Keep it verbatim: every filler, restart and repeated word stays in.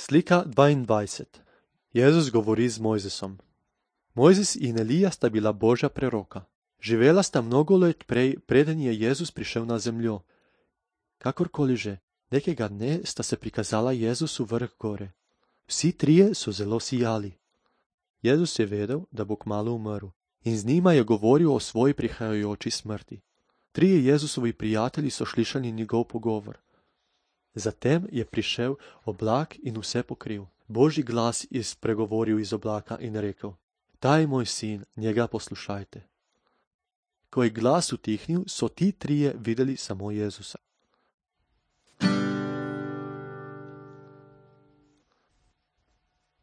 Slika dvaindvajset. Jezus govori z Mojzesom. Mojzes in Elija sta bila Božja preroka. Živela sta mnogo let prej, preden je Jezus prišel na zemljo. Kakorkoli že, nekega dne sta se prikazala Jezusu vrh gore. Vsi trije so zelo sijali. Jezus je vedel, da bo kmalu umrl, in z njima je govoril o svoji prihajajoči smrti. Trije Jezusovi prijatelji so slišali njegov pogovor. Zatem je prišel oblak in vse pokril. Božji glas je spregovoril iz oblaka in rekel: Ta je moj sin, njega poslušajte. Ko je glas utihnil, so ti trije videli samo Jezusa.